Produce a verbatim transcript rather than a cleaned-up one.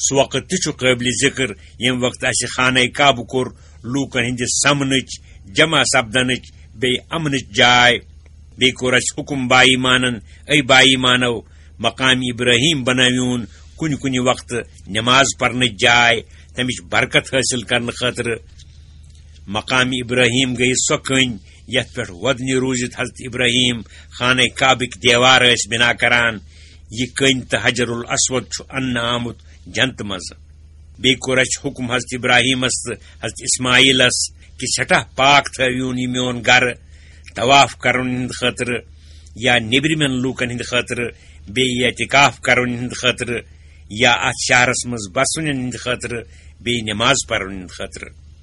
سُہ وقت تہِ چھُ قٲبلِ ذِکر، ییٚمہِ وقتہٕ اَسہِ خانہ کعبہٕ کوٚر لوٗکن ہٕنٛدِ سمنٕچ، جمع سپدنٕچ، بیٚیہِ امنٕچ جاے۔ بیٚیہِ کوٚر اَسہِ حُکم باییٖمانن، اے باییٖمانو، مقام ابراہیم بنٲوِوُن کُنہِ کُنہِ وقتہٕ نماز پرنٕچ جاے، تمِچ برکت حٲصِل کرنہٕ خٲطرٕ۔ مقام ابراہیم گٔیہِ سۄ کٔنۍ، یتھ پٮ۪ٹھ وۄدنہِ روٗزِتھ حضرت ابراہیم خانہ کعبٕکۍ دیوار ٲسۍ بنا کران۔ یہِ کٔنۍ تہٕ حجر الاسود چھُ اننہٕ آمُت جنتہٕ منٛزٕ۔ بیٚیہِ کوٚر اَسہِ حُکم حضرت ابراہیمس تہٕ حضرت اسماعیلس کہِ سٮ۪ٹھاہ پاک تھٲوِوُن یہِ میون گرٕ طواف کرن ہٕنٛدِ خٲطرٕ، یا نیٚبرِمٮ۪ن لوٗکن ہٕنٛدِ خٲطرٕ، بیٚیہِ اعتکاف کرن ہٕنٛدِ خٲطرٕ، یا اتھ شہرس منٛز بسن ہٕنٛدِ خٲطرٕ، بیٚیہِ نماز پرن ہٕنٛدِ خٲطرٕ۔